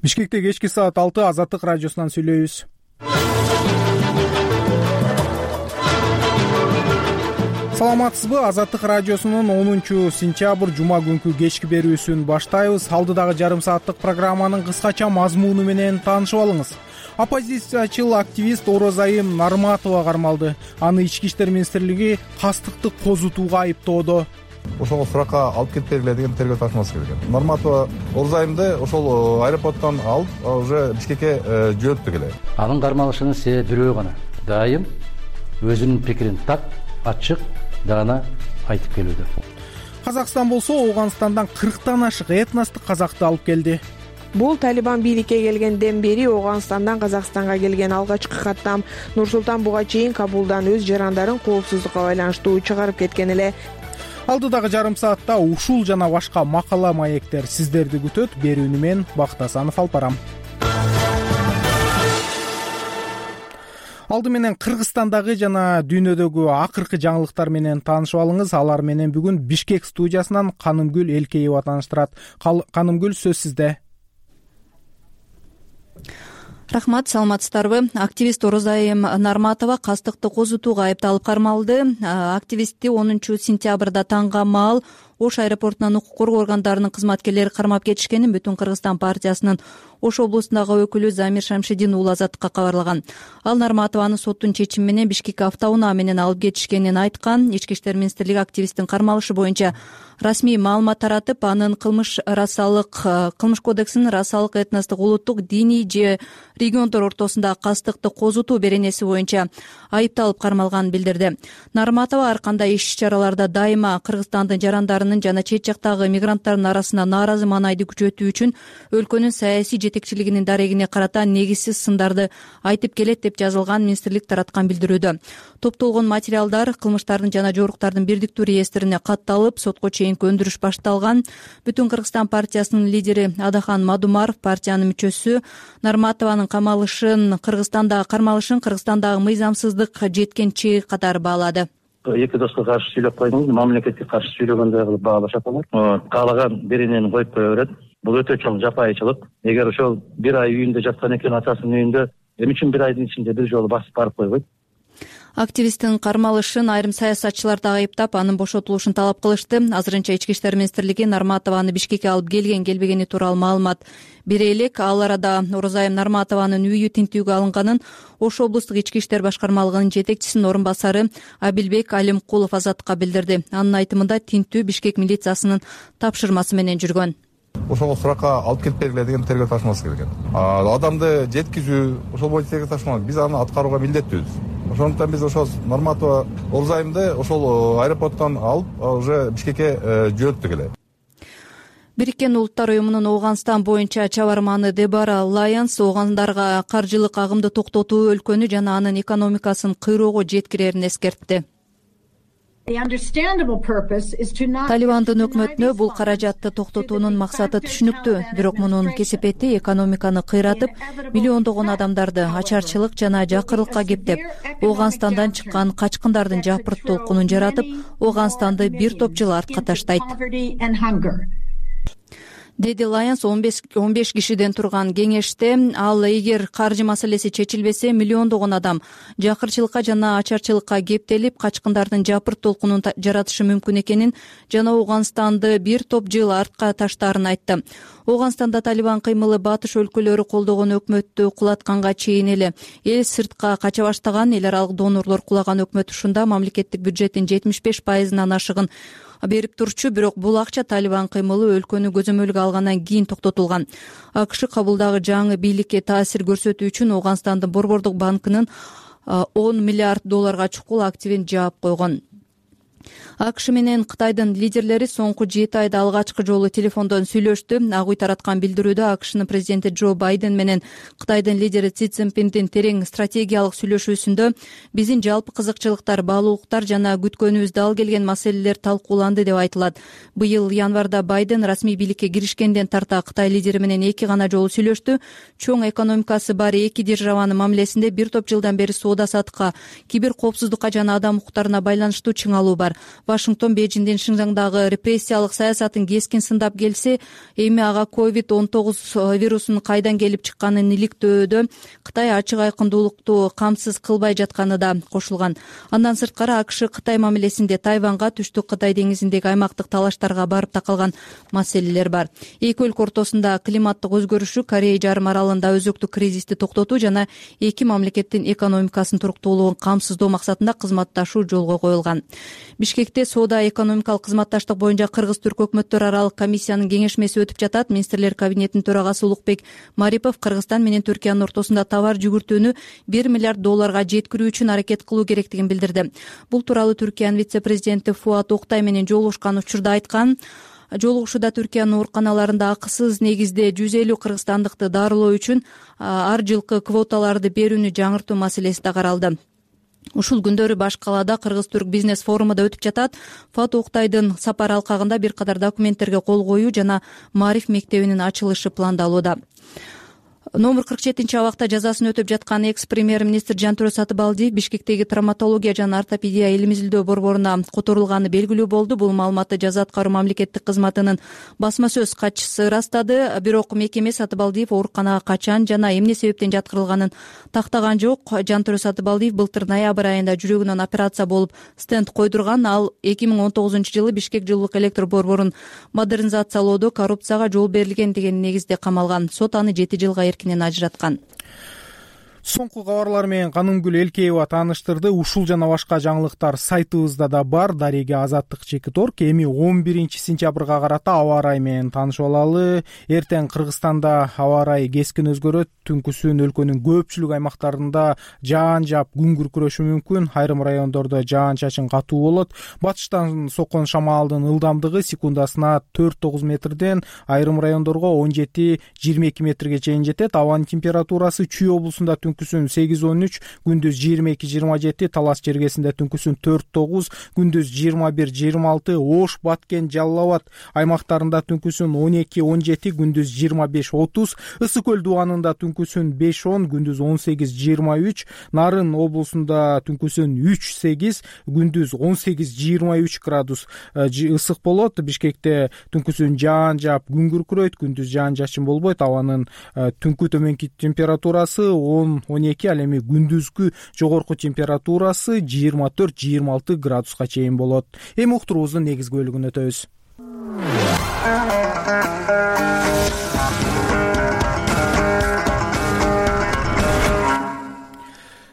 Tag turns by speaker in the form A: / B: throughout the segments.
A: Бишкекте кечки саат 6 Азаттык радиосунан сүйлөйбүз. Саламатсызбы? Азаттык радиосунун 10-сентябрь жума күнкү кечки берүүсүн баштайбыз. Алдыдагы жарым сааттык программанын кыскача мазмуну менен таанышып алыңыз. Оппозициячыл активист Орозайым Нарматова кармалды. Аны Ички иштер министрлиги кастыкты козутууга айыптоодо.
B: Ошол суракка алып кетип бергиле деген тергөө тапшырмасы келген. Нарматова Орозайымды ошол аэропорттон алып уже Бишкекке жөнөттү келе.
C: Анын кармалышынын себеби бирөө гана. Дайым өзүнүн пикирин так, ачык, даана айтып келүүдө.
A: Казакстан болсо Ооганстандан 40тан ашык этностук казакты алып келди.
D: Бул Талибан бийликке келгенден бери Ооганстандан Казакстанга келген алгачкы каттам. Нур-Султан буга чейин Кабулдан өз жарандарын коопсуздукка байланыштуу чыгарып кеткен эле.
A: Алдыдагы жарым саатта ушул жана башка макала маектер сиздерди күтөт. Берүүнү мен Бакыт Асанов алып барам. Алды менен Кыргызстандагы жана дүйнөдөгү акыркы жаңылыктар менен таанышып алыңыз. Алар менен бүгүн Бишкек студиясынан Канымгүл Элкеева тааныштырат. Канымгүл, сөз сизде.
E: Рахмат, саламатсыздарбы? Активист Орозайым Нарматова кастыкты козутууга айыпталып кармалды. Активистти 10-сентябрда таңга маал Ош аэропортунан укук коргоо органдарынын кызматкерлери кармап кетишкенин Бүтүн Кыргызстан партиясынын Ош облусундагы өкүлү Замир Шамшидин уулу Азаттыкка кабарлаган. Ал Нарматованы соттун чечими менен Бишкекке автоунаа менен алып кетишкенин айткан. Ички иштер министрлиги активисттин кармалышы боюнча расмий маалымат таратып, анын кылмыш кодексинин расалык, этностук, улуттук, диний же региондор ортосундагы кастыкты козутуу беренеси боюнча айыпталып кармалганын билдирди. Нарматова ар кандай иш-чараларда дайыма Кыргызстандын жарандарынын жана чет жактагы мигранттардын арасына нааразы маанайды күчөтүү үчүн өлкөнүн саясий жетекчилигинин дарегине карата негизсиз сындарды айтып келет деп жазылган министрлик тараткан билдирүүдө. Топтолгон материалдар кылмыштардын жана жоруктардын бирдиктүү реестрине катталып, сотко чейинки өндүрүш башталган. Бүтүн Кыргызстан партиясынын лидери Адахан Мадумаров партиянын мүчөсү Нарматованын Кыргызстандагы мыйзамсыздык жеткен чеги катары баалады.
F: Эки доско каршы сүйлөп койдуңуз, мамлекетке каршы сүйлөгөндөй кылып баалашат алар. Каалаган беренени коюп кое берет. Бул өтө чоң жапайычылык. Эгер ошол бир ай үйүндө жаткан экен, атасынын үйүндө, эмне үчүн бир айдын ичинде бир жолу басып барып койбойт?
E: Активисттин кармалышын айрым саясатчылар да айыптап, анын бошотулушун талап кылышты. Азырынча Ички иштер министрлиги Нарматованы Бишкекке алып келбегени тууралуу маалымат бере элек. Ал арада Орозайым Нарматованын үйү тинтүүгө алынганын Ош облустук ички иштер башкармалыгынын жетекчисинин орун басары Абилбек Алимкулов Азаттыкка билдирди. Анын айтымында тинтүү Бишкек милициясынын тапшырмасы менен жүргөн.
B: Ошол суракка алып кетип бергиле деген тергөө тапшырмасы келген. Адамды жеткизүү, ошол боюнча тергөө тапшырма, биз аны аткарууга милдеттүүбүз. Ошондуктан биз ошол Нарматова Орозайымды ошол аэропорттон алып уже Бишкекке жөнөттү келе.
E: Бириккен Улуттар уюмунун Ооганстан боюнча чабарманы Дебора Лайонс Оогандарга каржылык агымды токтотуу өлкөнү жана анын экономикасын кыйроого жеткирерин эскертти. Талибандын өкмөтүнө бул каражатты токтотуунун максаты түшүнүктүү, бирок мунун кесепети экономиканы кыйратып, миллиондогон адамдарды ачарчылык жана жакырлыкка кептеп, Ооганстандан чыккан качкындардын жапырт толкунун жаратып, Ооганстанды бир топ жыл артка таштайт, деди Лайонс 15 кишиден турган кеңеште. Ал эгер каржы маселеси чечилбесе, миллиондогон адам жакырчылыкка жана ачарчылыкка кептелип, качкындардын жапырт толкунун жаратышы мүмкүн экенин жана Ооганстанды бир топ жыл артка таштаарын айтты. Ооганстанда Талибан кыймылы батыш өлкөлөрү колдогон өкмөттү кулатканга чейин эле эл сыртка кача баштаган. Эл аралык донорлор кулаган өкмөт ушунда мамлекеттик бюджеттин 75%-ын ашыгын берип турчу, бирок бул акча Талибан кыймылы өлкөнү көзөмөлгө алгандан кийин токтотулган. АКШ Кабулдагы жаңы бийликке таасир көрсөтүү үчүн Ооганстандын Борбордук банкынын $10 миллиард чукул активин жаап койгон. АКШ менен Кытайдын лидерлери соңку 7 айда алгачкы жолу телефондон сүйлөштү. Ак үй тараткан билдирүүдө АКШнын президенти Джо Байден менен Кытайдын лидери Си Цзиньпиндин терең стратегиялык сүйлөшүүсүндө биздин жалпы кызыкчылыктар, баалуулуктар жана күткөнүбүздө ал келген маселелер талкууланды деп айтылат. Быйыл январда Байден расмий бийликке киришкенден тарта Кытай лидери менен 2 гана жолу сүйлөштү. Чоң экономикасы бар эки державанын мамилесинде бир топ жылдан бери соода саттыкка, кибер коопсуздукка жана адам укуктарына байланыштуу чыңалуу бар. Вашингтон Бейжиңдин Шинжаңдагы репрессиялык саясатын кескин сындап келсе, эми ага COVID-19 вирусунун кайдан келип чыкканын иликтөөдө Кытай ачык айкындуулукту камсыз кылбай жатканы да кошулган. Андан сырткары АКШ Кытай мамилесинде Тайванга, Түштүк Кытай деңизиндеги аймактык талаштарга барып такалган маселелер бар. Эки өлкө ортосунда климаттык өзгөрүшү, Корея жарым аралында өзөктүк кризисти токтотуу жана эки мамлекеттин экономикасынын туруктуулугун камсыздоо максатында кызматташуу жолго коюлган. Бишкекте соода экономикалык кызматташтык боюнча Кыргыз-Түрк өкмөттөр аралык комиссиянын кеңешмеси өтүп жатат. Министрлер кабинетинин төрагасы Улукбек Марипов Кыргызстан менен Түркиянын ортосунда товар жүгүртүүнү $1 миллиард жеткирүү үчүн аракет кылуу керектигин билдирди. Бул тууралуу Түркиянын вице-президенти Фуат Октай менен жолугушкан учурда айткан. Жолугушууда Түркиянын ооруканаларында акысыз негизде 150 кыргызстандыкты дарылоо үчүн ар жылкы квоталарды берүүнү жаңыртуу маселеси да каралды. Ушул күндөрү баш калаада Кыргыз-Түрк бизнес форуму да өтүп жатат. Фуат Октайдын сапар алкагында бир катар документтерге кол коюу жана Маариф мектебинин ачылышы пландалууда. Номер 47 абакта жазасын өтөп жаткан экс-премьер-министр Жантүрө Сатыбалдиев Бишкектеги травматология жана ортопедия илим изилдөө борборуна которулганы белгилүү болду. Бул маалыматты жаза аткаруу мамлекеттик кызматынын басма сөз катчысы ырастады. Бирок мекеме Сатыбалдиев ооруканага качан жана эмне себептен жаткырылганын тактаган жок. Жантүрө Сатыбалдиев былтыр ноябрь айында жүрөгүнөн операция болуп стенд койдурган. Ал 2019 жылы Бишкек жылуулук электр борборун модернизациялоодо коррупцияга жол берилген деген негизде камалган. Сот аны 7 жылга ажыраткан.
A: Соңку кабарлар менен Канымгүл Элкеева тааныштырды. Ушул жана башка жаңылыктар сайтыбызда да бар. Дареге Азаттык ЧК.org. Эми 11 сентябрга карата аба ырайы менен таанышып алалы. Эртең Кыргызстанда аба ырайы кескин өзгөрөт. Түнкүсүн өлкөнүн көпчүлүк аймактарында жаан жаап күн күркүрөшү мүмкүн. Айрым райондордо жаан-чачын катуу болот. Батыштан соккон шамалдын ылдамдыгы секундасына 4-9 метрден айрым райондорго 17-22 метрге чейин жетет. Абанын температурасы Чүй облусунда түнкүсүн 8-13, күндүз 22-27, Талас жергесинде түнкүсүн 4-9, күндүз 21-26, Ош, Баткен, Жалал Абад аймактарында түнкүсүн 12-17, күндүз 25-30, Ысык көл дубанында түнкүсүн 5-10, күндүз 18-23, Нарын облусунда түнкүсүн 3-8, күндүз 18-23 градус ысык болот. Бишкекте түнкүсүн жаан жаап күн күркүрөйт, күндүз жаан-жашын болбойт. Абанын түнкү төмөнкү температурасы 10-12, ал эми күндүзгү жогорку температурасы 24-26 градуска чейин болот. Эми уктуруубуздун негизги бөлүгүнө өтөбүз.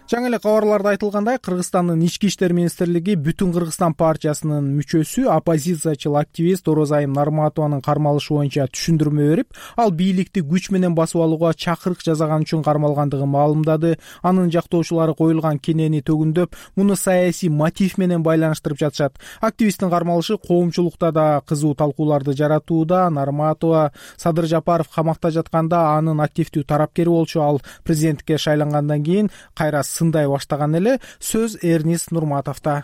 A: Жаңы эле кабарларда айтылгандай, Кыргызстандын Ички иштер министрлиги Бүтүн Кыргызстан партиясынын мүчөсү, оппозициячыл активист Орозайым Нарматованын кармалышы боюнча түшүндүрмө берип, ал бийликти күч менен басып алууга чакырык жасаган үчүн кармалгандыгын маалымдады. Анын жактоочулары коюлган кенени төгүндөп, муну саясий мотив менен байланыштырып жатышат. Активисттин кармалышы коомчулукта да кызуу талкууларды жаратууда. Нарматова Садыр Жапаров камакта жатканда анын активдүү тарапкери болчу. Ал президенттикке шайлангандан кийин кайра сындай баштаган эле. Сөз Эрнис Нурматовдо.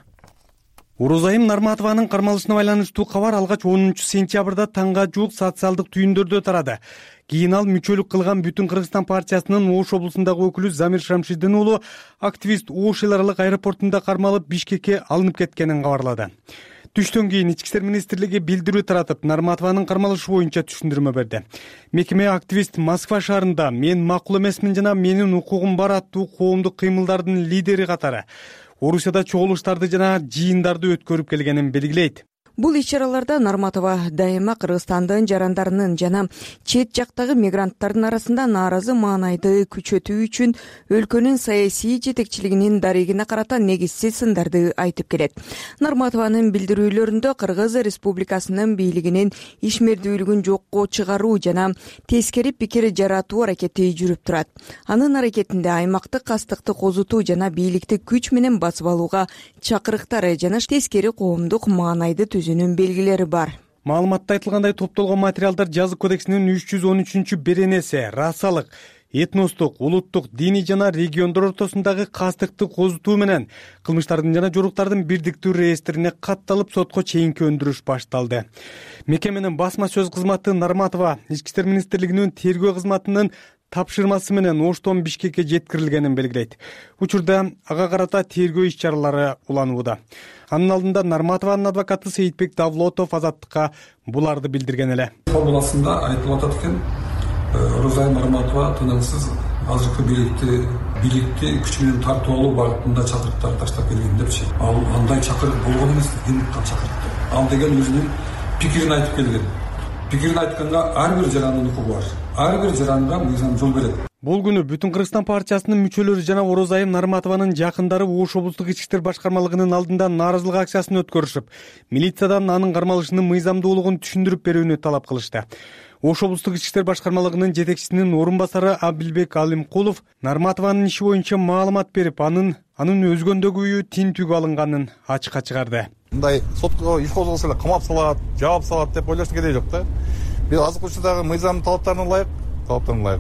G: Орозайым Нарматованын кармалышына байланыштуу кабар алгач 10 сентябрда таңга жуук социалдык түйүндөрдө тарады. Кийин ал мүчөлүк кылган Бүтүн Кыргызстан партиясынын Ош облусундагы өкүлү Замир Шамшидин уулу активист Ош эл аралык аэропортунда кармалып Бишкекке алынып кеткенин кабарлады. Түштөн кийин Ички иштер министрлиги билдирүү таратып, Нарматованын кармалышы боюнча түшүндүрмө берди. Мекеме активист Москва шаарында "Мен макул эмесмин жана менин укугум бар" аттуу коомдук кыймылдардын лидери катары Орусияда чогулуштарды жана жыйындарды өткөрүп келгенин белгилейт.
H: Бул иш-чараларда Нарматова дайыма Кыргызстандын жарандарынын жана чет жактагы мигранттардын арасында нааразы маанайды күчөтүү үчүн өлкөнүн саясий жетекчилигинин дарегине карата негизсиз сындарды айтып келет. Нарматованын билдирүүлөрүндө Кыргыз Республикасынын бийлигинин ишмердүүлүгүн жокко чыгаруу жана тескери пикир жаратуу аракети жүрүп турат. Анын аракетинде аймактык кастыкты козутуу жана бийликти күч менен басып алууга чакырыктары жана тескери коомдук маанайды түзүүнүн белгилери бар.
G: Маалыматта айтылгандай топтолгон материалдар Жазык кодексинин 313 беренеси расалык, этностук, улуттук, диний жана региондор ортосундагы кастыкты козутуу менен кылмыштардын жана жоруктардын бирдиктүү реестрине катталып сотко чейинки өндүрүш башталды. Мекеменин басма сөз кызматы Нарматова Ички иштер министрлигинин тергөө кызматынын тапшырмасы менен Оштон Бишкекке жеткирилгенин белгилейт. Учурда ага карата тергөө иш чаралары уланууда. Анын алдында Нарматованын адвокаты Сейитбек Давлотов Азаттыкка буларды билдирген эле.
I: Формуласында айтылып атат экен, Орозайым Нарматова тынымсыз азыркы бийликти күч менен тартып алуу багытында чакырыктар таштап келген депчи. Ал андай чакырык болгон эмес, ким чакырыктı. Ал деген өзүнүн пикирин айтып келген. Пикирин айтканга ар бир жарандын укугу бар. Ар бир жаранга мыйзам жол берет.
G: Бул күнү Бүтүн Кыргызстан партиясынын мүчөлөрү жана Орозайым Нарматованын жакындары Ош облустук ички иштер башкармалыгынын алдында нааразылык акциясын өткөрүшүп, милициядан анын кармалышынын мыйзамдуулугун түшүндүрүп берүүнү талап кылышты. Ош облустук ички иштер башкармалыгынын жетекчисинин орун басары Абилбек Алимкулов Нарматованын иши боюнча маалымат берип, анын өзгөндөгү үйү тинтүүгө алынганын ачыкка чыгарды.
B: Мындай сотко иш козголсо эле камап салат, жаап салат деп ойлоштун кереги жок да. Биз азык учурдагы мыйзам талаптарына ылайык.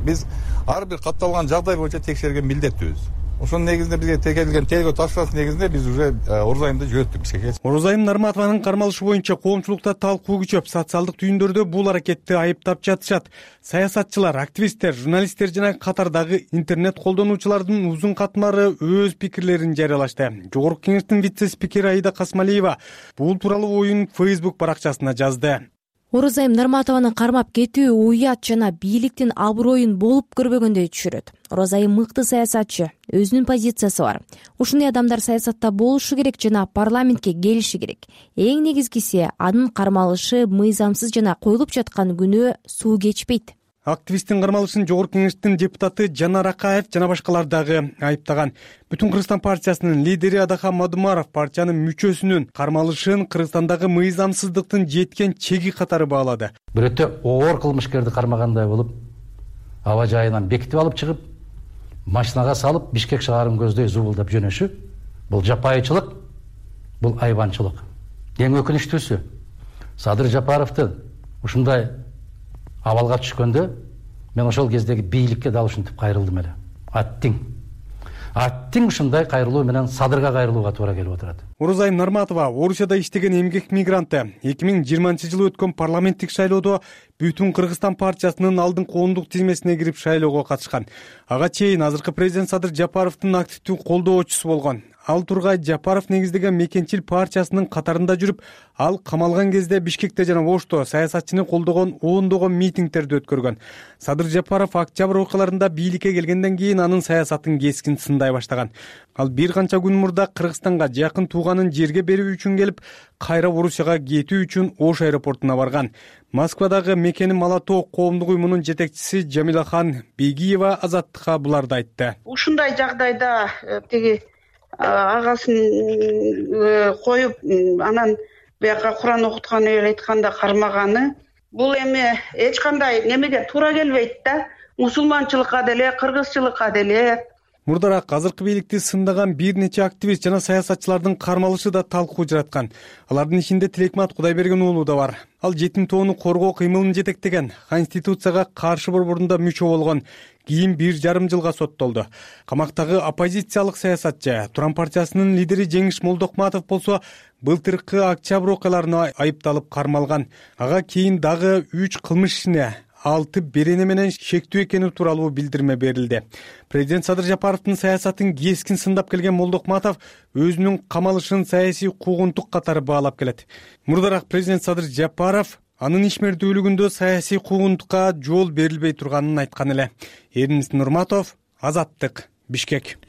B: Биз ар бир катталган жагдай боюнча текшерген милдеттүүбүз. Ошонун негизинде бизге текелген тергөө тапшырмасы негизинде биз уже Орозайымды жөнөттүк Бишкекке.
G: Орозайым Нарматованын кармалышы боюнча коомчулукта талкуу күчөп, социалдык түйүндөрдө бул аракетти айыптап жатышат. Саясатчылар, активисттер, журналисттер жана катардагы интернет колдонуучулардын узун катмары өз пикирлерин жарыялашты. Жогорку кеңештин вице-спикери Аида Касмалиева бул тууралуу оюн Facebook баракчасына жазды.
J: Орозайым Нарматованы кармап кетүү уят жана бийликтин аброюн болуп көрбөгөндөй түшүрөт. Орозайым мыкты саясатчы, өзүнүн позициясы бар. Ушундай адамдар саясатта болушу керек жана парламентке келиши керек. Эң негизгиси анын кармалышы мыйзамсыз жана коюлуп жаткан күнөө суу кечпейт.
G: Активисттин кармалышын Жогорку кеңештин депутаты Жанар Акаев жана башкалар дагы айыптаган. Бүтүн Кыргызстан партиясынын лидери Адахан Мадумаров партиянын мүчөсүнүн кармалышын Кыргызстандагы мыйзамсыздыктын жеткен чеги катары баалады.
C: Бир өтө оор кылмышкерди кармагандай болуп, аба жайынан бекитип алып чыгып, машинага салып, Бишкек шаарын көздөй зубулдап жөнөшү, бул жапайычылык, бул айбанчылык. Эң өкүнүчтүүсү, Садыр Жапаровдун ушундай абалга түшкөндө мен ошол кездеги бийликке дал ушинтип кайрылдым эле. Аттиң ушундай кайрылуу менен Садырга кайрылууга туура келип отурат.
G: Орозайым Нарматова Орусияда иштеген эмгек мигранты. 2020-жылы өткөн парламенттик шайлоодо Бүтүн Кыргызстан партиясынын алдыңкы ондук тизмесине кирип шайлоого катышкан. Ага чейин азыркы президент Садыр Жапаровдун активдүү колдоочусу болгон. Ал тургай Жапаров негиздеген Мекенчил партиясынын катарында жүрүп, ал камалган кезде Бишкекте жана Ошто саясатчыны колдогон ондогон митингдерди өткөргөн. Садыр Жапаров октябрь окуяларында бийликке келгенден кийин анын саясатын кескин сындай баштаган. Ал бир канча күн мурда Кыргызстанга жакын тууганын жерге берүү үчүн келип, кайра Орусияга кетүү үчүн Ош аэропортуна барган. Москвадагы Мекени Малатоо коомдук уюмунун жетекчиси Жамилахан Бегиева Азаттыкка буларды айтты.
K: Ушундай жагдайда тиги агасын коюп, анан бияка Куран окутканы айтканда кармаганы, бул эми эч кандай немеге туура келбейт да. Мусулманчылыкка деле, кыргызчылыкка деле.
G: Мурдараак азыркы бийликти сындаган бир нече активист жана саясатчылардын кармалышы да талкуу жараткан. Алардын ичинде Тилекмат Кудайберген уулу да бар. Ал жетим тоону коргоо кыймылын жетектеген, Конституцияга каршы борборунда мүчө болгон. Кийин 1,5 жылга соттолду. Камактагы оппозициялык саясатчы Туран партиясынын лидери Жеңиш Молдокматов болсо былтыркы октябрь окуяларына айыпталып кармалган. Ага кийин дагы 3 кылмыш ишине 6 берене менен шектүү экени тууралуу билдирме берилди. Президент Садыр Жапаровдун саясатын кескин сындап келген Молдокматов өзүнүн камалышын саясий куугунтук катары баалап келет. Мурдараак президент Садыр Жапаров анын ишмердүүлүгүндө саясий куугунтукка жол берилбей турганын айткан эле. Эрнис Нурматов, Азаттык, Бишкек.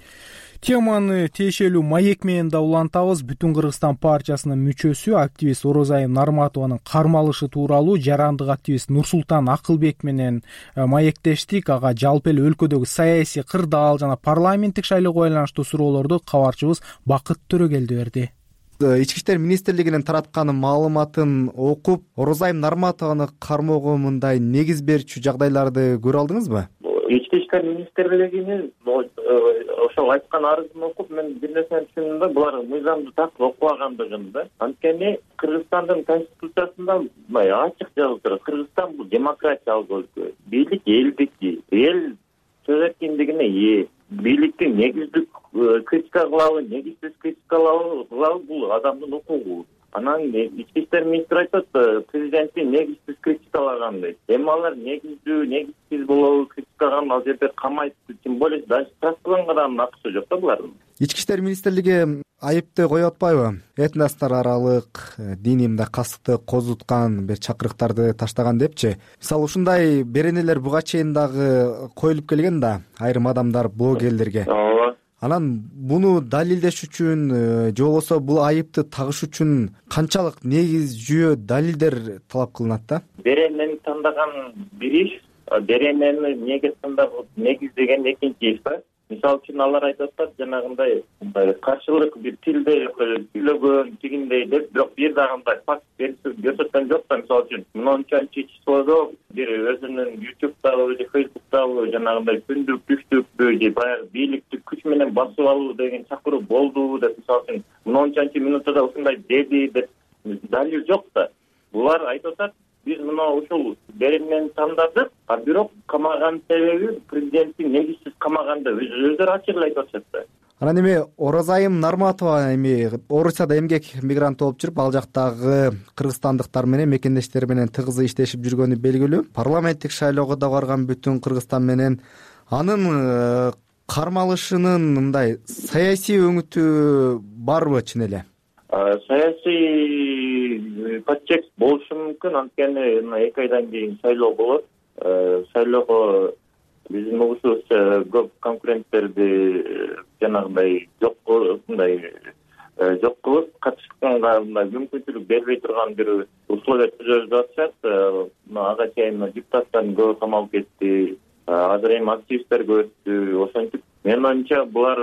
A: Теманы тиешелүү маек менен да улантабыз. Бүтүн Кыргызстан партиясынын мүчөсү, активист Орозайым Нарматованын кармалышы тууралуу жарандык активист Нурсултан Акылбек менен маектештик. Ага жалпы эле өлкөдөгү саясий кырдаал жана парламенттик шайлоого байланыштуу суроолорду кабарчыбыз Бакыт Төрөгелди берди.
L: Ички иштер министрлигинин тараткан маалыматын окуп, Орозайым Нарматованы кармоого мындай негиз берчү жагдайларды көрө алдыңызбы?
M: Ички иштер министрлигинин ошол айткан арызын окуп, мен бир нерсени түшүндүм да, булар мыйзамды так окубагандыгын да. Анткени Кыргызстандын конституциясында ачык жазылып турат. Кыргызстан бул демократиялык өлкө. Бийлик элдики, эл сөз эркиндигине ээ. Бийликтин негиздик критика кылабы, негизсиз критика кылабы бул адамдын укугу. Анан ички иштер министри айтат, президенттин негизсиз критикалаган дейт. Эми алар негиздүү, негизсиз болобу критика чыккан ал жерде камайт, тем более даже штрафланганга да акысы жок да булардын.
L: Ички иштер министрлиги айыпты коюп атпайбы? Этностор аралык диний мындай кастыкты козуткан бир чакырыктарды таштаган депчи. Мисалы ушундай беренелер буга чейин дагы коюлуп келген да айрым адамдар, блогерлерге.
M: Ооба.
L: Анан буну далилдеш үчүн же болбосо бул айыпты тагыш үчүн канчалык негиз жүйө далилдер талап кылынат да?
M: Беренени тандаган бир иш, беренени негиздеген экинчи иш да. Мисалы үчүн алар айтып атат, жанагындай каршылык бир тилде сүйлөгөн, тигиндей деп, бирок бир дагы мындай факт көрсөткөн жок да. Мисалы үчүн мынчанчы числодо бир өзүнүн YouTube'дагы же Facebook'дагы жанагындай күндүк, түштүкпү же баягы бийликти күч менен басып алуу деген чакыруу болду деп, мисалы үчүн мынчанчы минутада ушундай деди деп далил жок да. Булар айтып атат, биз мына ушул беренени тандадык, а бирок камаган себеби президенттин негизсиз камаганда өздөрү ачык эле айтып атышат да.
L: Анан эми Оразайым Нарматова эми Орусияда эмгек мигранты болуп жүрүп, ал жактагы кыргызстандыктар менен, мекендештери менен тыгыз иштешип жүргөнү белгилүү. Парламенттик шайлоого да барган Бүтүн Кыргызстан менен анын кармалышынын мындай саясий өңүтү барбы чын эле?
M: Саясий подтекст болушу мүмкүн, анткени 2 айдан кийин шайлоо болот. Шайлоого биздин угушубузча көп конкуренттерди жанагындай жок кылып, катышканга мүмкүнчүлүк бербей турган бир условия түзөбүз атышат. Ага чейин депутаттардын көбү камалып кетти, азыр эми активисттер көбөйттү. Ошентип менин оюмча булар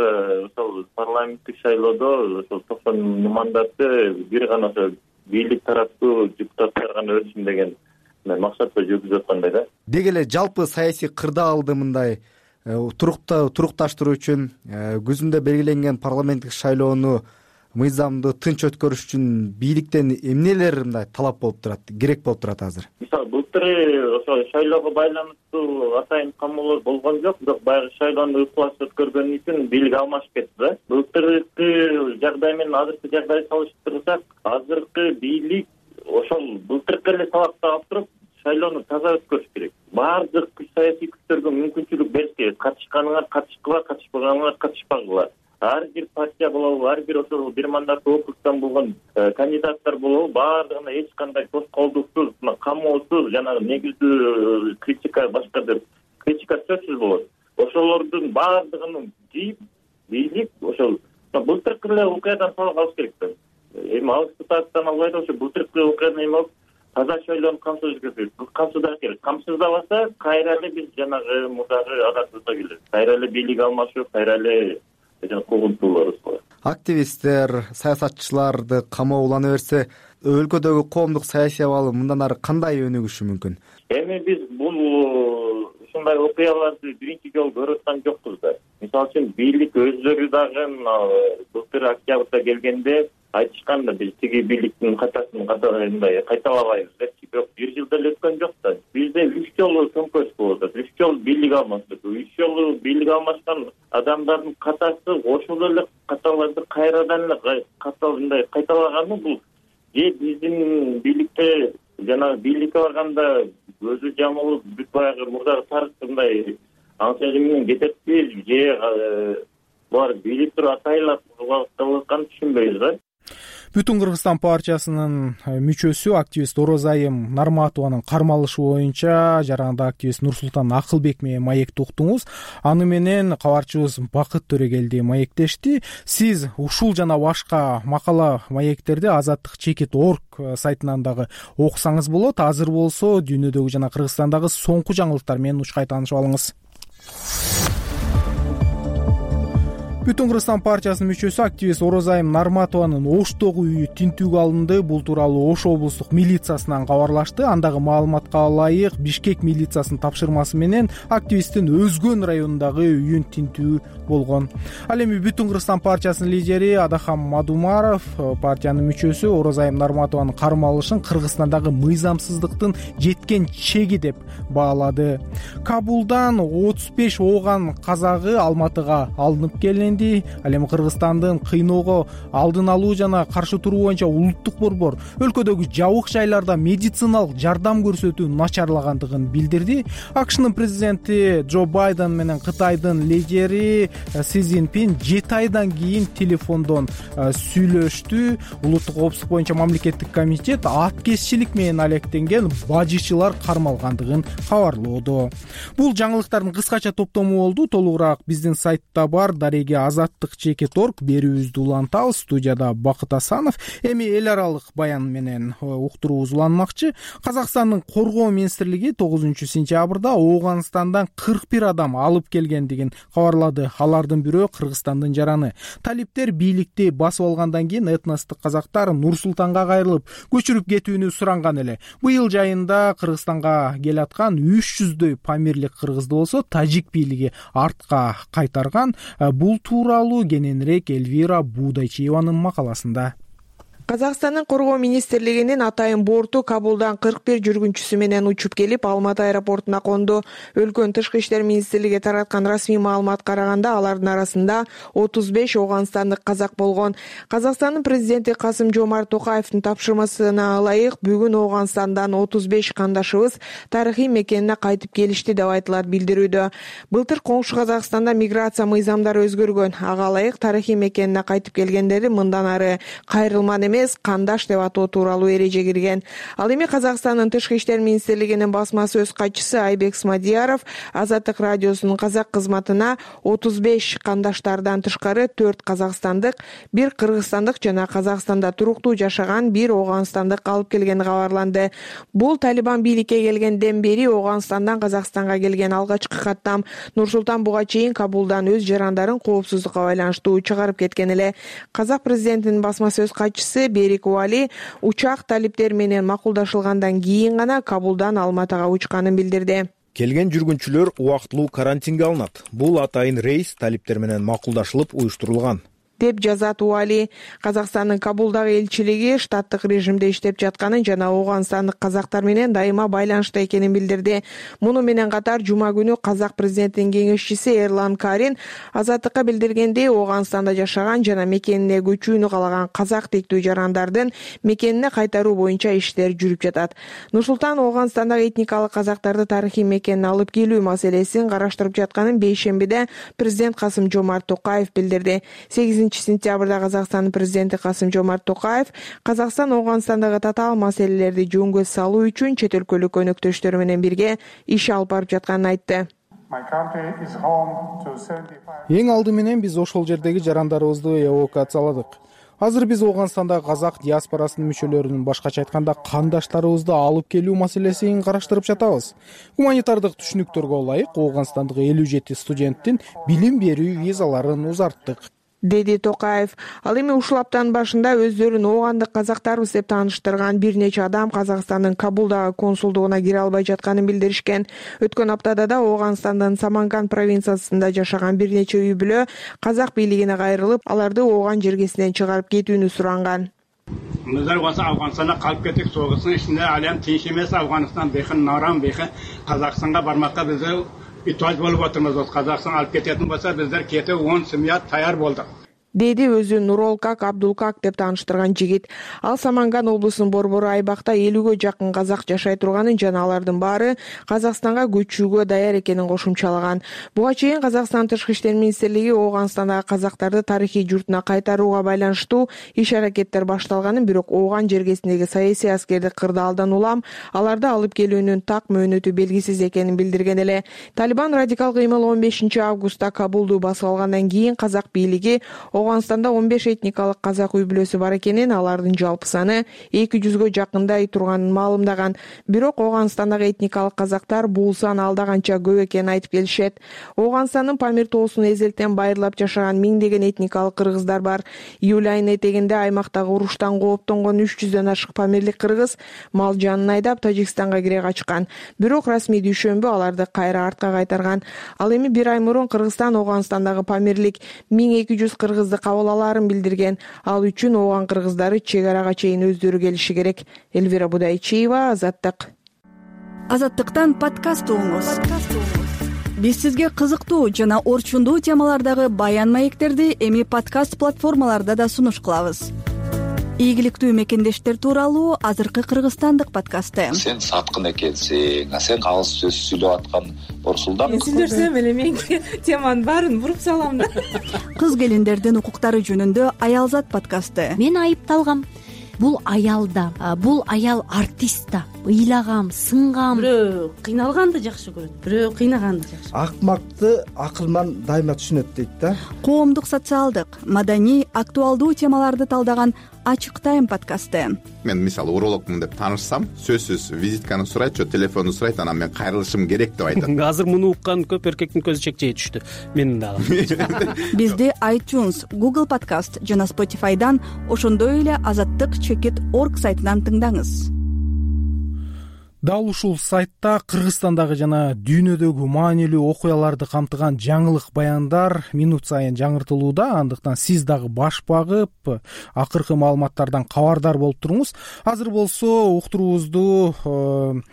M: ошол парламенттик шайлоодо ошол 90 мандатты бир гана ошо бийлик тараптуу депутаттар гана өтсүн деген максатта жүргүзүп аткандай да.
L: Деги эле жалпы саясий кырдаалды мындай турукташтыруу үчүн күзүндө белгиленген парламенттик шайлоону мыйзамдуу тынч өткөрүш үчүн бийликтен эмнелер мындай талап болуп турат, керек болуп турат азыр?
M: Мисалы былтыры ошо шайлоого байланыштуу атайын камоолор болгон жок, бирок баягы шайлоону ыкылаш өткөргөн үчүн бийлик алмашып кетти да. Былтыркы жагдай менен азыркы жагдайды салыштырсак, азыркы бийлик ошол былтыркы эле талапты алып туруп шайлоону таза өткөрүш керек. Баардык саясий күчтөргө мүмкүнчүлүк бериш керек. Катышканыңар катышкыла, катышпаганыңар катышпагыла. Ар бир партия болобу, ар бир ошол бир мандаттуу округтан болгон кандидаттар болобу, баардыгына эч кандай тоскоолдуксуз, камоосуз, жанагы негиздүү критика, башка бир критика сөзсүз болот. Ошолордун баардыгын жыйып, бийлик ошол былтыркы эле окуядан сабак алыш керек да. Эми алысты тарыптан албай да ошо былтыркы окуядан эми алып таза шайлоону камсыздаш керек. Камсыздабаса кайра эле биз жанагы мурдагы адатыбызга келебиз. Кайра эле бийлик алмашып, кайра эле куугунтуулар болот.
L: Активисттер, саясатчыларды камоолана берсе, өлкөдөгү коомдук саясий абал мындан ары кандай өнүгүшү мүмкүн?
M: Эми биз бул ушундай окуяларды биринчи жолу көрүп аткан жокпуз да. Мисалы үчүн бийлик өздөрү дагы былтыр октябрда келгенде айтышкан да, биз тиги бийликтин катасын кайталабайбыз депчи. Бирок бир жыл деле өткөн жок да. Бизде 3 жолу төңкөрүш болуп атат. 3 жолу бийлик алмаштык. 3 жолу бийлик алмашкан адамдардын катасы ошол эле каталарды кайрадан эле кайталаганы бул же биздин бийликте жана бийликке барганда көзү жамылып бүт баягы мурдагы тарыхындай ансыгы менен кететпи, же булар бийлик туруп атайлап кылып атканын түшүнбөйбүз да.
A: Бүтүн Кыргызстан партиясынын мүчөсү активист Оразайым Нарматованын кармалышы боюнча жаранда активист Нурсултан Акылбек менен маекти уктуңуз. Аны менен кабарчыбыз Бакыт Төрөгелди маектешти. Сиз ушул жана башка макала маектерди Азаттык.org сайтынан дагы окусаңыз болот. Азыр болсо дүйнөдөгү жана Кыргызстандагы соңку жаңылыктар менен учкай таанышып алыңыз. Бүтүн Кыргызстан партиясынын мүчөсү активист Оразайым Нарматованын Оштогу үйү тинтүүгө алынды. Бул тууралуу Ош облустук милициясынан кабарлашты. Андагы маалыматка ылайык Бишкек милициясынын тапшырмасы менен активисттин Өзгөн районундагы үйүн тинтүү болгон. Ал эми Бүтүн Кыргызстан партиясынын лидери Адахам Мадумаров партиянын мүчөсү Оразайым Нарматованын кармалышын Кыргызстандагы мыйзамсыздыктын жеткен чеги деп баалады. Кабулдан 35 ооган казагы Алматыга алынып келинди. белгиленди. Ал эми Кыргызстандын кыйноого алдын алуу жана каршы туруу боюнча улуттук борбор өлкөдөгү жабык жайларда медициналык жардам көрсөтүү начарлагандыгын билдирди. АКШнын президенти Джо Байден менен Кытайдын лидери Си Цзиньпин 7 айдан кийин телефондон сүйлөштү. Улуттук коопсуздук боюнча мамлекеттик комитет аткезчилик менен алектенген бажычылар кармалгандыгын кабарлоодо. Бул жаңылыктардын кыскача топтому болду. Толугураак биздин сайтта бар. Дареги azattik.org берүүбүздү улантабыз. Студияда Бакыт Асанов. Эми эл аралык баян менен уктуруубуз уланмакчы. Казакстандын коргоо министрлиги 9-сентябрда Ооганстандан 41 адам алып келгендигин кабарлады. Алардын бирөө Кыргызстандын жараны. Талиптер бийликти басып алгандан кийин этностук казактар Нур-Султанга кайрылып, көчүрүп кетүүнү суранган эле. Быйыл жайында Кыргызстанга келаткан 300дөй памирлик кыргызды болсо тажик бийлиги артка кайтарган. Бул тууралуу кененирээк Эльвира Будайчиеванын макаласында.
D: Казакстандын коргоо министрлигинин атайын борту Кабулдан 41 жүргүнчүсү менен учуп келип, Алматы аэропортуна конду. Өлкөнүн тышкы иштер министрлиги тараткан расмий маалымат караганда, алардын арасында 35 ооганстандык казак болгон. Казакстандын президенти Касым-Жомарт Токаевдин тапшырмасына ылайык бүгүн Ооганстандан 35 кандашыбыз тарыхый мекенине кайтып келишти деп айтылат билдирүүдө. Былтыр коңшу Казакстанда миграция мыйзамдары өзгөргөн. Ага ылайык тарыхый мекенине кайтып келгендери мындан ары кайрылман эмес, кандаш деп атоо тууралуу эреже кирген. Ал эми Казакстандын тышкы иштер министрлигинин басма сөз катчысы Айбек Смадияров Азаттык радиосунун казак кызматына 35 кандаштардан тышкары 4 казакстандык, 1 кыргызстандык жана Казакстанда туруктуу жашаган 1 ооганстандык алып келгени кабарланды. Бул Талибан бийликке келгенден бери Ооганстандан Казакстанга келген алгачкы каттам. Нур-Султан буга чейин Кабулдан өз жарандарын коопсуздукка байланыштуу чыгарып кеткен эле. Казак президентинин басма сөз катчысы Берик Уали учак талиптер менен макулдашылгандан кийин гана Кабулдан Алматыга учканын билдирди.
N: Келген жүргүнчүлөр убактылуу карантинге алынат. Бул атайын рейс талиптер менен макулдашылып уюштурулган,
D: деп жазат Уали. Казакстандын Кабулдагы элчилиги штаттык режимде иштеп жатканын жана Ооганстандык казактар менен дайыма байланышта экенин билдирди. Муну менен катар жума күнү казак президентинин кеңешчиси Эрлан Карин Азаттыкка билдиргендей, Ооганстанда жашаган жана мекенине көчүүнү каалаган казак тектүү жарандардын мекенине кайтаруу боюнча иштер жүрүп жатат. Нур-Султан Ооганстандагы этникалык казактарды тарыхый мекенине алып келүү маселесин караштырып жатканын бейшембиде президент Касым-Жомарт Токаев билдирди. 8-сентябрда Казакстандын президенти Касым-Жомарт Токаев Казакстан Ооганстандагы татаал маселелерди жөнгө салуу үчүн чет өлкөлүк өнөктөштөрү менен бирге иш алып барып жатканын айтты.
A: Эң алды менен биз ошол жердеги жарандарыбызды эвакуацияладык. Азыр биз Ооганстандагы казак диаспорасынын мүчөлөрүнүн, башкача айтканда кандаштарыбызды алып келүү маселесин караштырып жатабыз. Гуманитардык түшүнүктөргө ылайык Ооганстандык 57 студенттин билим берүү визаларын узарттык,
D: деди Токаев. Ал эми ушул аптанын башында өздөрүн оогандык казактарбыз деп тааныштырган бир нече адам Казакстандын Кабулдагы консулдугуна кире албай жатканын билдиришкен. Өткөн аптада да Ооганстандын Саманган провинциясында жашаган бир нече үй бүлө казак бийлигине кайрылып, аларды Ооган жергесинен чыгарып кетүүнү суранган.
O: Bizler olsa Afganistan'a kalp kettik, soğusun içinde alem tinç emesi Afganistan behin naram behin Kazakistan'a barmakta bize ihtiyaç bulup oturmaz. Kazakistan alıp ketетін bolsa bizler kete 10 simyat tayar boldık.
D: Деди өзүн Нуролкак Абдулкак деп тааныштырган жигит. Ал Саманган облусунун борбору айбакта 50ге жакын казак жашай турганын жана алардын баары Казакстанга көчүүгө даяр экенин кошумчалаган. Буга чейин Казакстан тышкы иштер министрлиги Ооганстандагы казактарды тарыхый журтуна кайтарууга байланыштуу иш-аракеттер башталганын, бирок Ооган жергесиндеги саясий аскердик кырдаалдан улам аларды алып келүүнүн так мөөнөтү белгисиз экенин билдирген эле. Талибан радикал кыймыл 15-августта Кабулду басып алгандан кийин казак бийлиги Ооганстанда 15 этникалык казак үй бүлөсү бар экенин, алардын жалпы саны 200ге жакындай турганын маалымдаган. Бирок Ооганстандагы этникалык казактар бул сан алдаганча көп экенин айтып келишет. Ооганстандын Памир тоосун эзелтен байырлап жашаган миңдеген этникалык кыргыздар бар. Июль айынын этегинде аймактагы уруштан кооптонгон 300дөн ашык памирлик кыргыз мал жанын айдап Тажикстанга кире качкан. Бирок расмий дүйшөмбү аларды кайра артка кайтарган. Ал эми бир ай мурун Кыргызстан Ооганстандагы памирлик 1200 кыргызды кабыл алаарын билдирген. Ал үчүн Ооган кыргыздары чек арага чейин өздөрү келиши керек. Эльвира Будайчиева, Азаттык.
P: Азаттыктан подкаст угуңуз. биз сизге кызыктуу жана орчундуу темалардагы баян маектерди эми подкаст платформаларда да сунуш кылабыз. Ийгиликтүү мекендештер тууралуу азыркы кыргызстандык подкасты.
Q: Сен саткын экенсиң, сен калыс сөз сүйлөп аткан Орсулдан.
R: Мен сүйлөсөм эле мен теманын баарын буруп салам да.
P: Кыз келиндердин укуктары жөнүндө Аялзат подкасты.
J: Мен айыпталгам. Бул аял да, бул аял артист да. Ыйлагам, сынгам.
R: Бирөө кыйналганды жакшы көрөт, бирөө кыйнаганды жакшы.
S: Акмакты акылман дайыма түшүнөт дейт да.
P: Коомдук, социалдык, маданий, актуалдуу темаларды талдаган Ачык тайм подкасты.
T: Мен мисалы урологмун деп таанышсам, сөзсүз визитканы сурайт, же телефонду сурайт, анан мен кайрылышым керек деп айтат.
U: Азыр муну уккан көп эркектин көзү чекчейе түштү. Менин дагы.
P: Бизди iTunes, Google Podcast жана Spotify'дан, ошондой эле azattik.org сайтынан тыңдаңыз.
A: Дал ушул сайтта Кыргызстандагы жана дүйнөдөгү маанилүү окуяларды камтыган жаңылык баяндар минут сайын жаңыртылууда, андыктан сиз дагы баш багып, акыркы маалыматтардан кабардар болуп туруңуз. Азыр болсо уктуруубузду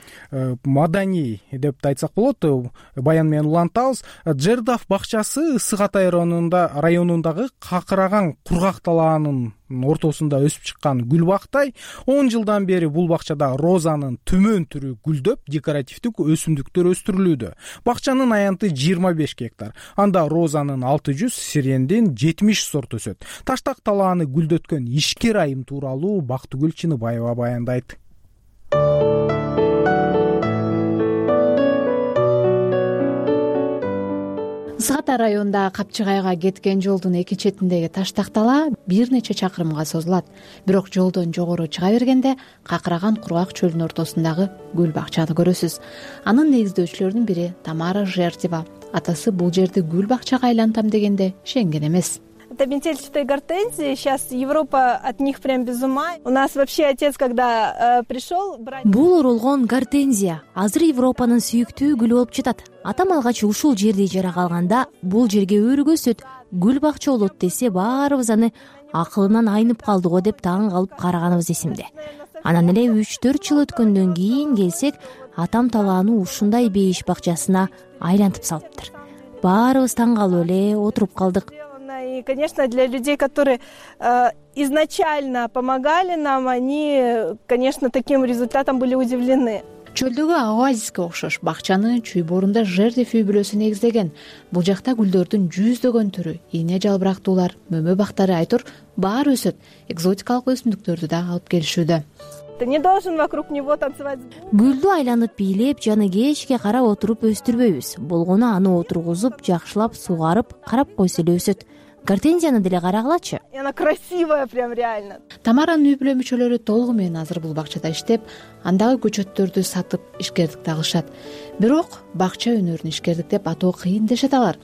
A: маданий деп да айтсак болот, баян менен улантабыз. Жердав бакчасы Ысык Атай районундагы какыраган кургак талаанын ортосунда өсүп чыккан гүл бактай. 10 жылдан бери бул бакчада розанын түмөн түрү гүлдөп, декоративдик өсүмдүктөр өстүрүлүүдө. Бакчанын аянты 25 гектар. Анда розанын 600, сирендин 70 сорт өсөт. Таштак талааны гүлдөткөн ишкер айым тууралуу Бактыгүл Чыныбаева баяндайт.
V: Ысык Атай районундагы Капчыгайга кеткен жолдун эки четиндеги таштак талаа бир нече чакырымга созулат. Бирок жолдон жогору чыга бергенде какыраган кургак чөлдүн ортосундагы гүл бакчаны көрөсүз. Анын негиздөөчүлөрүнүн бири Тамара Жердева. Атасы бул жерди гүл бакчага айлантам дегенде ишенген эмес.
W: Это метельчатые гортензии. Сейчас Европа от них прям без ума. У нас вообще отец, когда пришел брать...
J: Бул оролгон гортензия азыр Европанын сүйүктүү гүлү болуп жатат. Атам алгач ушул жерди ижарага алганда бул жерге өргө өсөт, гүл бакча болот десе, баарыбыз аны акылынан айнып калды го деп таң калып караганыбыз эсимде. Анан эле 3-4 жыл өткөндөн кийин келсек, атам талааны ушундай бейиш бакчасына айлантып салыптыр. Баарыбыз таң калып эле отуруп калдык.
W: И, конечно, для людей, которые изначально помогали нам, они, конечно, таким результатом были удивлены.
V: Чөлдөгү оазиске окшош бакчаны Чүйборунда Жердев үй бүлөсү негиздеген. Бул жакта гүлдөрдүн жүздөгөн түрү, ийне жалбырактуулар, мөмө бактары, айтор баары өсөт. Экзотикалык өсүмдүктөрдү да алып келишүүдө.
W: Ты не должен вокруг него танцевать.
J: Гүлдү айланып бийлеп, жаны кечке карап отуруп өстүрбөйбүз. Болгону аны отургузуп, жакшылап сугарып, карап койсо эле өсөт. Гортензияны деле карагылачы.
W: И она красивая прям реально.
V: Тамаранын үй бүлө мүчөлөрү толугу менен азыр бул бакчада иштеп, андагы көчөттөрдү сатып ишкердикти алышат. Бирок бакча өнөрүн ишкердик деп атоо кыйын дешет алар.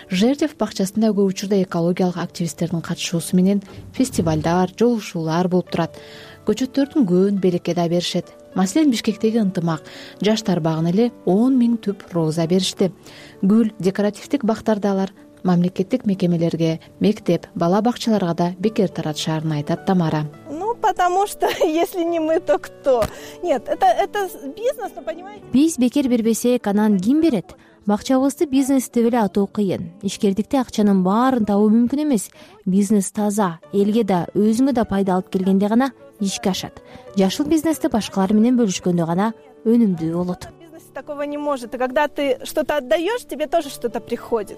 V: Жердев бакчасында көп учурда экологиялык активисттердин катышуусу менен фестивалдар, жолугушуулар болуп турат. Көчөттөрдүн көбүн белекке да беришет. Маселен, Бишкектеги Ынтымак жаштар багына эле 10 000 түп роза беришти. Гүл, декоративдик бактарды алар мамлекеттик мекемелерге, мектеп, бала бакчаларга да бекер таратышаарын айтат Тамара.
W: Ну, потому что если не мы, то кто? Нет, это бизнес, но понимаете?
J: Биз бекер бербесек, анан ким берет? Бакчабызды бизнес деп эле атоо кыйын. Ишкердикте акчанын баарын табуу мүмкүн эмес. Бизнес таза, элге да, өзүңө да пайда алып келгенде гана ишке ашат. Жашыл бизнести башкалар менен бөлүшкөндө гана өнүмдүү болот.
W: Такого не может. И когда ты что-то отдаешь, тебе тоже что-то приходит.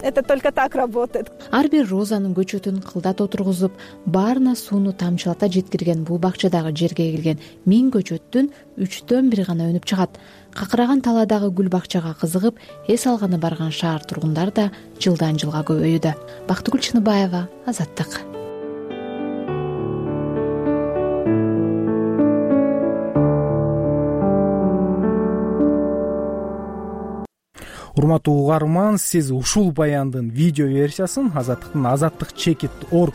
W: Это только так работает.
V: Ар бир розанын көчөтүн кылдат отургузуп, баарына сууну тамчылата жеткирген бул бакчадагы жерге келген 1000 көчөттүн 3төн 1 гана өнүп чыгат. Какыраган талаадагы гүл бакчага кызыгып, эс алганы барган шаар тургундары да жылдан жылга көбөйүүдө. Бактыгүл Чыныбаева, Азаттык.
A: Урматтуу угарман, сиз ушул баяндын видео версиясын Азаттыктын azattik.org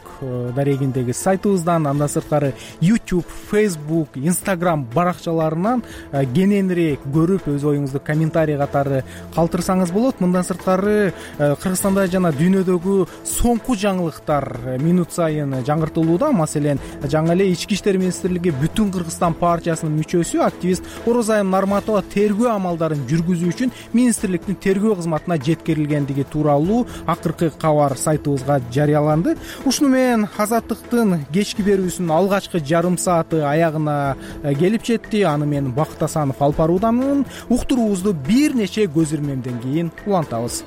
A: дарегиндеги сайтыбыздан, андан сырткары YouTube, Facebook, Instagram баракчаларынан кененирээк көрүп, өз оюңузду комментарий катары калтырсаңыз болот. Мындан сырткары Кыргызстанда жана дүйнөдөгү соңку жаңылыктар минут сайын жаңыртылууда. Маселен, жаңы эле Ички иштер министрлиги Бүтүн Кыргызстан партиясынын мүчөсү, активист Орозайым Нарматова тергөө амалдарын жүргүзүү үчүн министрликтин тергөө тергөө кызматына жеткирилгендиги тууралуу акыркы кабар сайтыбызга жарыяланды. Ушуну менен Азаттыктын кечки берүүсүнүн алгачкы жарым сааты аягына келип жетти. Аны мен Бакыт Асанов алып баруудамын. Уктуруубузду бир нече көз ирмемден кийин улантабыз.